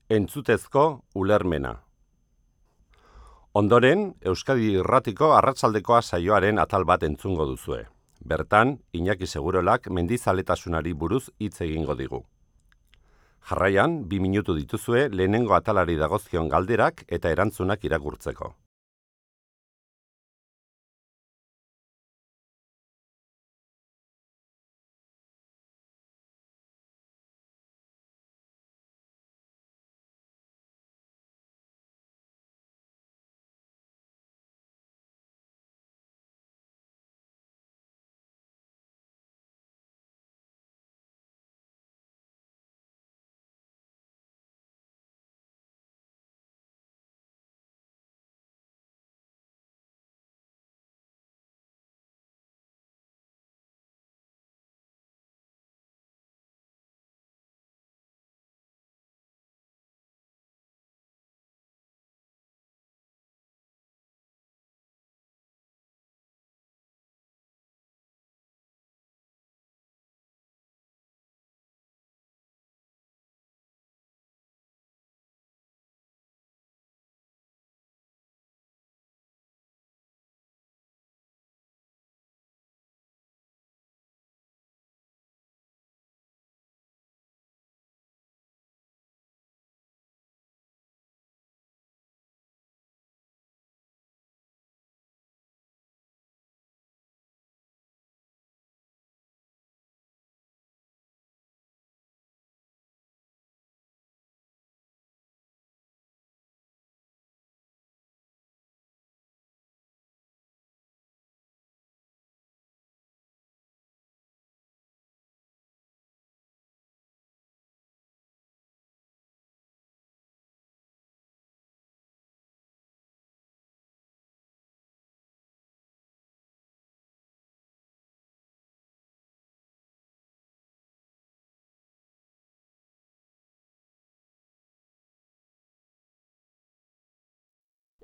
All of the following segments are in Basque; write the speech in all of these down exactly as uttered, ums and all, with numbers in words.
Entzutezko ulermena. Ondoren, Euskadi Irratiko arratsaldekoa saioaren atal bat entzungo duzue. Bertan, Iñaki Segurolak mendizaletasunari buruz hitz egingo digu. Jarraian, bi minutu dituzue lehenengo atalari dagozkion galderak eta erantzunak irakurtzeko.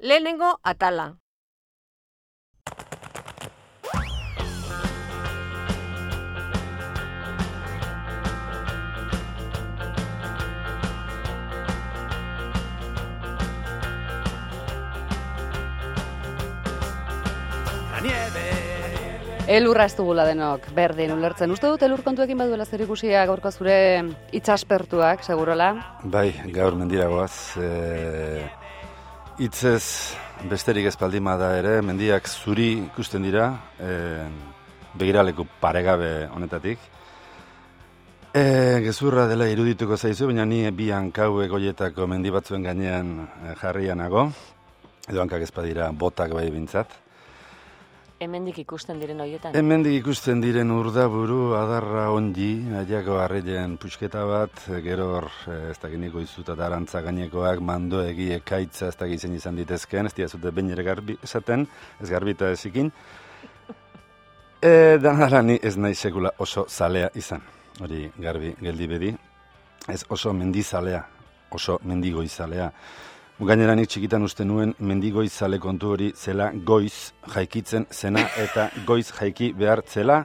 Lehenengo atala. Elurra ez dugula denok, berdin ulertzen. Uste dut elur kontuekin baduela zer ikusia gaurko zure itsaspertuak, segurola? Bai, gaur mendiragoaz. E... Itzez besterik espaldima da ere, mendiak zuri ikusten dira, e, begiraleku paregabe honetatik. E, gezurra dela irudituko zaizu, baina ni bi hankau egoietako mendi batzuen gainean jarrianago, edo hankak ezpadira botak bai bintzat. Hemendik ikusten diren horietan? Hemendik ikusten diren urdaburu, adarra ongi, aiako harrilen pusketa bat, gero hor, ez dakiniko izuta eta arantza gainekoak, mandoegi, ekaitza, ez dakitzen izan ditezken, ez diazute bain ere garbi esaten, ez garbita ezikin. E, danara ni ez nahi sekula oso zalea izan, hori garbi geldi bedi, ez oso mendizalea, oso mendigoizalea. Gainera nik txikitan uste nuen mendigoizale kontu hori zela goiz jaikitzen zena eta goiz jaiki behar zela,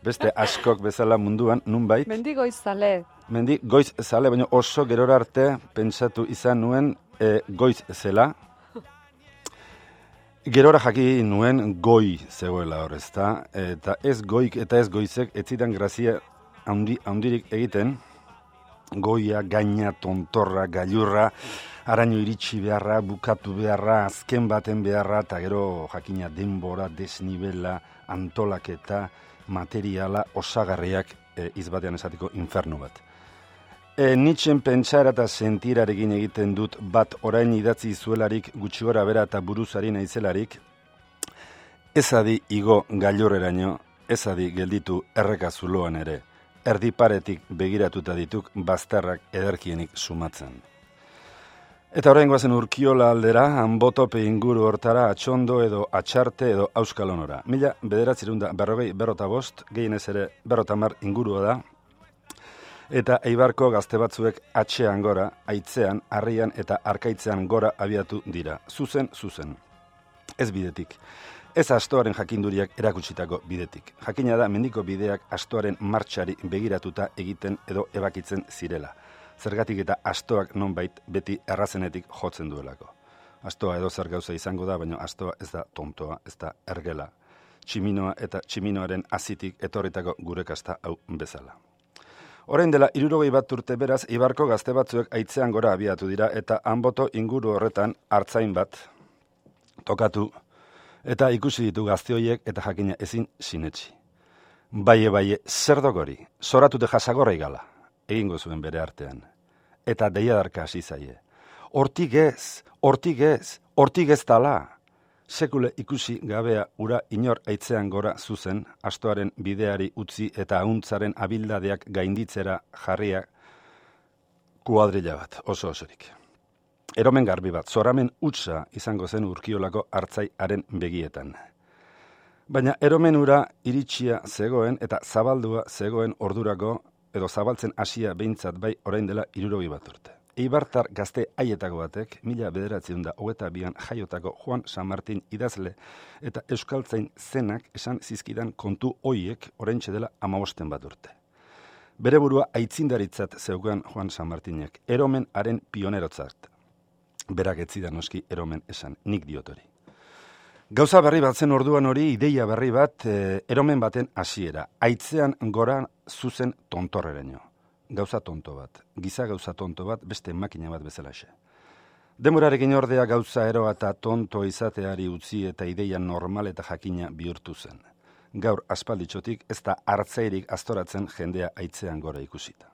beste askok bezala munduan, nunbait. Mendigoizale. Mendigoiz zale, baina oso gerora arte pentsatu izan nuen e, goiz zela. Gerora jaki nuen goi zegoela hor, ezta? Eta ez goik eta ez goizek ez zidan grazia handi, handirik egiten, goia, gaina, tontorra, gailurra, araño iritsi beharra, bukatu beharra, azken baten beharra, eta gero jakina denbora, desnibela, antolaketa, materiala, osagarriak e, izbatean esatiko infernu bat. E, Nitzen pentsara eta sentirarekin egiten dut bat orain idatzi zuelarik gutxi gora bera eta buruzari naizelarik, ezadi igo gailurreraino, ezadi gelditu errekazuloan ere, erdiparetik begiratuta dituk bazterrak ederkienik sumatzen. Eta orain goazen Urkiola aldera, Anbotope inguru hortara, atxondo edo atxarte edo auskalonora. Mila bederatzerunda berrogei berrota bost, gehienez ere berrota mar ingurua da, eta Eibarko gazte batzuek atxean gora, aitzean, harrian eta arkaitzean gora abiatu dira. Zuzen, zuzen. Ez bidetik. Ez astoaren jakinduriak erakutsitako bidetik. Jakina da mendiko bideak astoaren martxari begiratuta egiten edo ebakitzen zirela. Zergatik eta astoak nonbait beti errazenetik jotzen duelako. Astoa edo zer gauza izango da, baina astoa ez da tontoa, ez da ergela. Tximinoa eta tximinoaren azitik etorritako gure kasta hau bezala. Orain dela hirurogei bat urte beraz, Ibarko gazte batzuek aitzean gora abiatu dira eta Anboto inguru horretan hartzain bat tokatu eta ikusi ditu gazte horiek eta jakina ezin sinetsi. Baie, baie, zer dogori, zoratute jasagorra igala, egingo zuen bere artean. Eta deiadarka hasi zaie. Hortik ez, hortik ez, hortik ez dala. Sekule ikusi gabea ura inor aitzean gora zuzen, astoaren bideari utzi eta ahuntzaren abildadeak gainditzera jarria kuadrilla bat, oso osorik. Eromen garbi bat, zoramen utza izango zen Urkiolako hartzaiaren begietan. Baina eromen ura iritsia zegoen eta zabaldua zegoen ordurako, edo zabaltzen hasia behintzat bai orain dela hirurogei bat urte. Eibartar gazte haietako batek, mila bederatziehun eta hogeita bian jaiotako Juan San Martin idazle eta euskaltzain zenak esan zizkidan kontu hoiek oraintxe dela hamabosten bat urte. Bere burua aitzindaritzat zeukan Juan San Martinek, eromen haren pionerotzat. Berak ez zidan noski eromen esan, nik diot hori. Gauza berri bat zen orduan hori, ideia berri bat, e, eromen baten hasiera, aitzean gora zuzen tontorreraino. Gauza tonto bat, giza gauza tonto bat, beste makina bat bezalaxe. Demorarekin ordea gauza eroa eta tonto izateari utzi eta ideia normal eta jakina bihurtu zen. Gaur aspalditxotik ez da hartzairik astoratzen jendea aitzean gora ikusita.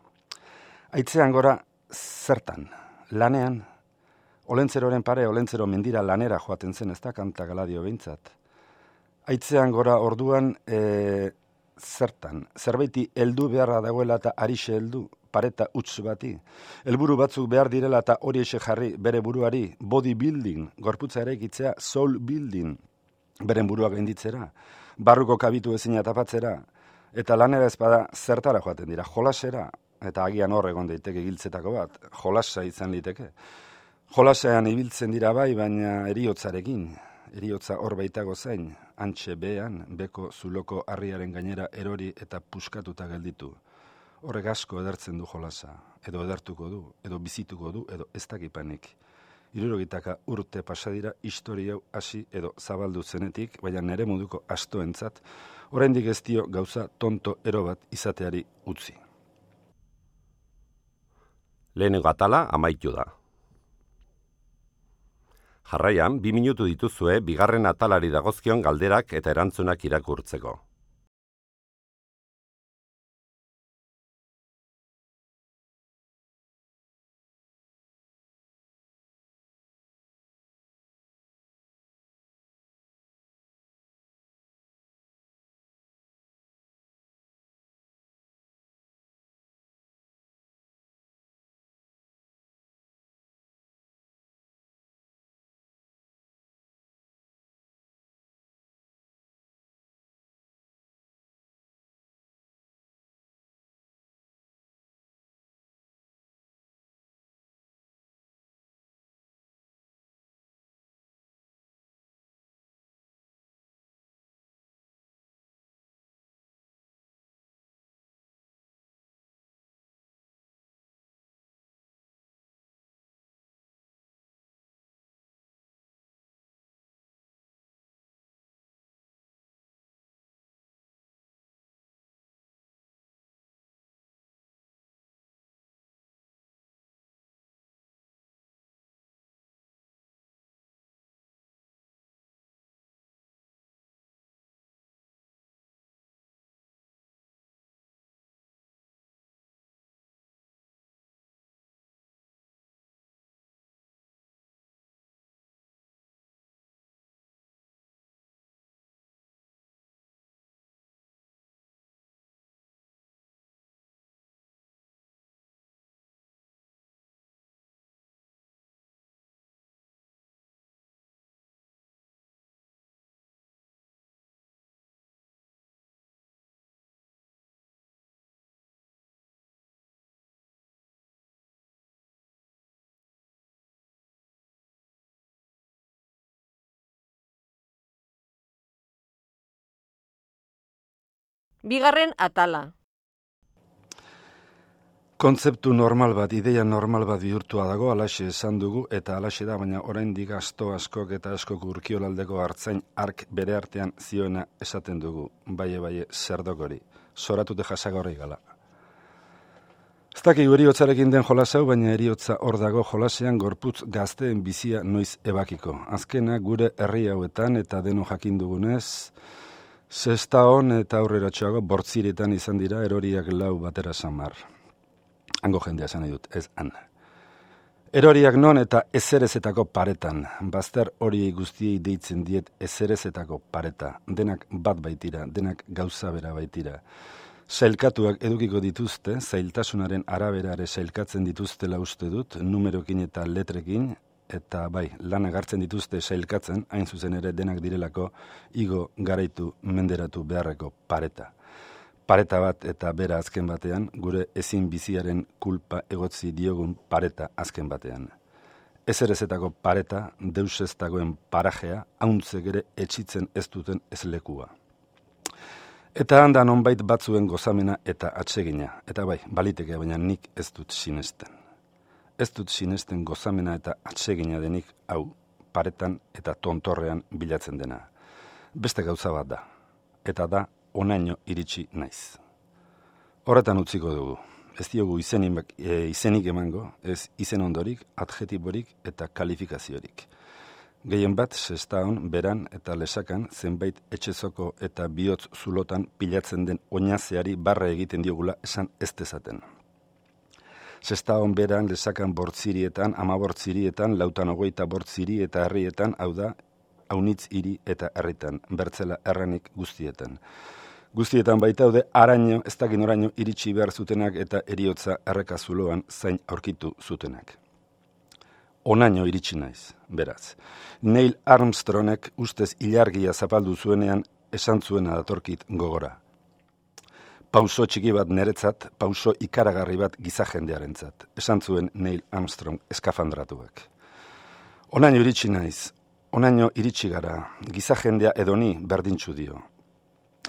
Aitzean gora zertan, lanean, olentzeroren pare, olentzero mendira lanera joaten zen, ez da kanta galadio behintzat. Aitzean gora orduan, e, zertan, zerbaiti heldu beharra dagoela eta arixe heldu, pareta utz bati. Helburu batzuk behar direla eta hori ese jarri bere buruari, bodybuilding, gorputza eraikitzea, soul building, beren buruak gainditzera, barruko kabitu ezina tapatzera, eta lanera ezpada zertara joaten dira, jolasera, eta agian hor egon daiteke giltzetako bat, jolasa izan liteke. Jolasean ibiltzen dira bai, baina eriotzarekin, eriotza hor baitago zain, antxe bean, beko zuloko harriaren gainera erori eta puskatuta gelditu. Horrek asko edertzen du jolasa, edo edertuko du, edo bizituko du, edo ez dakipanik. Hirurogitaka urte pasadira historia hasi edo zabaldu zenetik, baina nere moduko astoentzat, oraindik ez dio gauza tonto ero bat izateari utzi. Lehenengo atala amaitu da. Jarraian, bi minutu dituzue bigarren atalari dagozkion galderak eta erantzunak irakurtzeko. Bigarren atala. kontzeptu normal bat, ideia normal bat bihurtua dago, alaxe esan dugu, eta alaxe da, baina oraindik asto askok eta askok urkiolaldeko hartzain ark bere artean zioena esaten dugu, baie baie zerdokori, zoratute jasagorri gala. Ez dakigu eriotzarekin den jolasau, baina eriotza hor dago jolasean gorputz gazteen bizia noiz ebakiko. Azkena gure herri hauetan eta deno jakin dugunez, Sestaon eta aurreratxoago bortziretan izan dira eroriak lau batera samar. Hango jendea esan nahi dut, ez han. Eroriak non eta ezerezetako paretan. Bazter hori guztiei deitzen diet ezerezetako pareta. Denak bat baitira, denak gauza bera baitira. Sailkatuak edukiko dituzte, zailtasunaren araberare sailkatzen dituztela uste dut, numerokin eta letrekin, eta bai, lan agartzen dituzte sailkatzen, hain zuzen ere denak direlako, igo garaitu menderatu beharreko pareta. Pareta bat eta bera azken batean, gure ezin biziaren kulpa egotzi diogun pareta azken batean. Ezerezetako pareta, deus ez dagoen parajea, hauntzek ere etxitzen ez duten ezlekua. Eta handan onbait batzuen gozamena eta atsegina, eta bai, baliteke baina nik ez dut sinesten. Ez dut sinesten gozamena eta atsegina denik hau, paretan eta tontorrean bilatzen dena. Beste gauza bat da, eta da onaino iritsi naiz. Horretan utziko dugu, ez diogu izenik, e, izenik emango, ez izen ondorik, adjetiborik eta kalifikaziorik. Gehien bat, Sestaon, beran eta lesakan zenbait etxezoko eta bihotz zulotan pilatzen den oinazeari barra egiten diogula esan ez dezaten. Sestaon beran, lesakan bortzirietan, ama bortzirietan, lautan hogeita bortziri eta herrietan, hau da, haunitz hiri eta herritan, bertzela erranik guztietan. Guztietan baitaude, araño, ez dakin oraino iritsi behar zutenak eta eriotza errekazuloan zain aurkitu zutenak. Onaino iritsi naiz, beraz. Neil Armstrongek ustez ilargia zapaldu zuenean esan zuena datorkit gogora. Pauso txiki bat niretzat, pauso ikaragarri bat gizajendearentzat. Esan zuen Neil Armstrong eskafandratuak. Onaino iritsi naiz, onaino iritsi gara, gizajendea edoni berdintzu dio.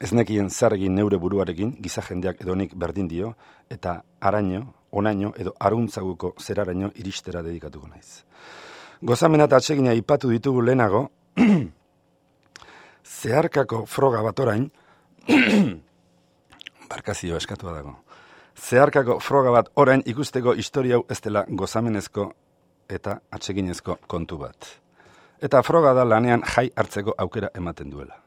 Ez nekien zarregin neure buruarekin, gizajendeak edonik berdin dio, eta araño, onaino edo aruntzaguko zeraraino iristera dedikatuko naiz. Gozamena eta atsegina ipatu ditugu lehenago, zeharkako froga bat orain, barkazio eskatua dago, zeharkako froga bat orain ikusteko historia hau ez dela gozamenezko eta atseginezko kontu bat. Eta froga da lanean jai hartzeko aukera ematen duela.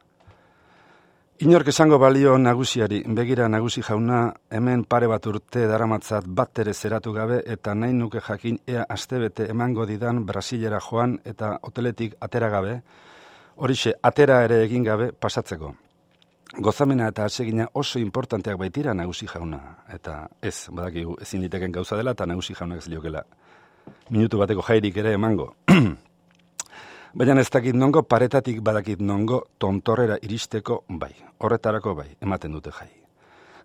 Inork esango balio nagusiari, begira nagusi jauna, hemen pare bat urte daramatzat bat ere zeratu gabe eta nahi nuke jakin ea astebete emango didan Brasilera joan eta hoteletik atera gabe, horixe atera ere egin gabe pasatzeko. Gozamena eta atsegina oso importanteak baitira nagusi jauna, eta ez, badakigu ezin liteken gauza dela eta nagusi jaunak ez liokela minutu bateko jairik ere emango. Baina ez dakit nongo, paretatik badakit nongo, tontorrera iristeko bai, horretarako bai, ematen dute jai.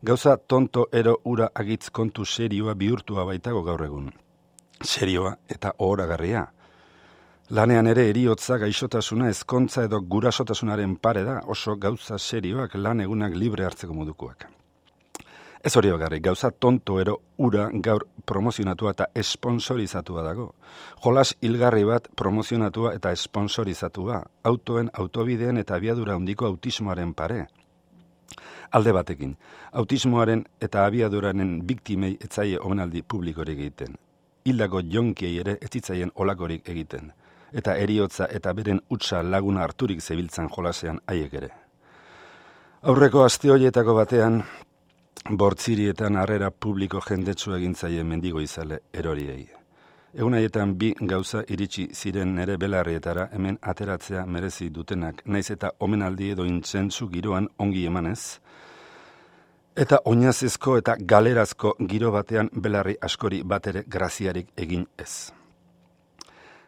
Gauza tonto ero ura agitz kontu serioa bihurtua baitago gaur egun. Serioa eta ohoragarria. Lanean ere eriotza, gaixotasuna, ezkontza edo gurasotasunaren pare da, oso gauza serioak lan egunak libre hartzeko modukoak. Ez hori bakarrik, gauza tonto ero ura gaur promozionatua eta esponsorizatua dago. Jolas hilgarri bat promozionatua eta esponsorizatua, autoen, autobideen eta abiadura handiko autismoaren pare. Alde batekin, autismoaren eta abiaduraren biktimei etzaie omenaldi publikorik egiten. Hildako jonkiei ere ez zitzaien olakorik egiten. Eta eriotza eta beren utza laguna harturik zebiltzan jolasean haiek ere. Aurreko aste horietako batean, bortzirietan harrera publiko jendetsu egintzaien mendigo izale eroriei. Egun haietan bi gauza iritsi ziren nere belarrietara hemen ateratzea merezi dutenak, naiz eta omenaldi edo intzentzu giroan ongi emanez, eta oinazezko eta galerazko giro batean belarri askori batere graziarik egin ez.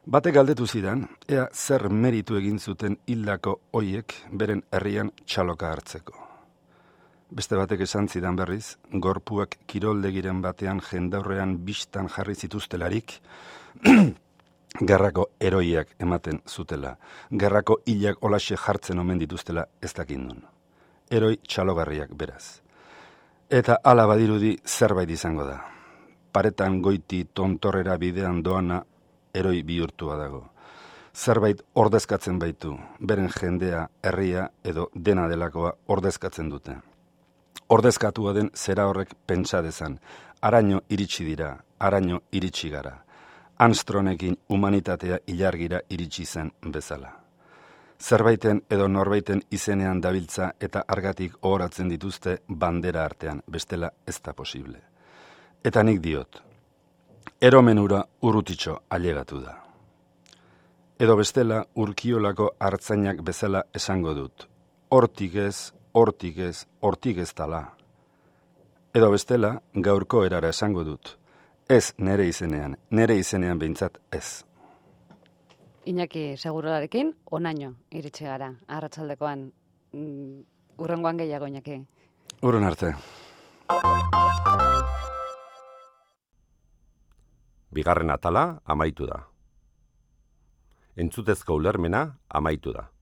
Batek galdetu zidan, ea zer meritu egin zuten hildako hoiek beren herrian txaloka hartzeko. Beste batek esan zidan berriz, gorpuak kiroldegiren batean jendaurrean bistan jarri zituztelarik, gerrako eroiak ematen zutela, gerrako hilak olaxe jartzen omen dituztela ez dakindun. Eroi txalogarriak beraz. Eta hala badirudi zerbait izango da. paretan goiti tontorrera bidean doana eroi bihurtua dago. Zerbait ordezkatzen baitu, beren jendea, herria edo dena delakoa ordezkatzen dute. Ordezkatua den zera horrek pentsa dezan, araño iritsi dira, araño iritsi gara. Armstrongekin humanitatea ilargira iritsi zen bezala. Zerbaiten edo norbaiten izenean dabiltza eta argatik ohoratzen dituzte bandera artean, bestela ez da posible. Eta nik diot, eromenura urrutitxo ailegatu da. Edo bestela urkiolako hartzainak bezala esango dut, hortik ez, hortik ez, hortik ez dala. Edo bestela gaurko erara esango dut, ez nere izenean, nere izenean behintzat ez. Iñaki Segurolarekin onaino iritsi gara, arratsaldekoan. Mm, urrengoan gehiago, Iñaki. Urren arte. Bigarren atala amaitu da. Entzutezko ulermena amaitu da.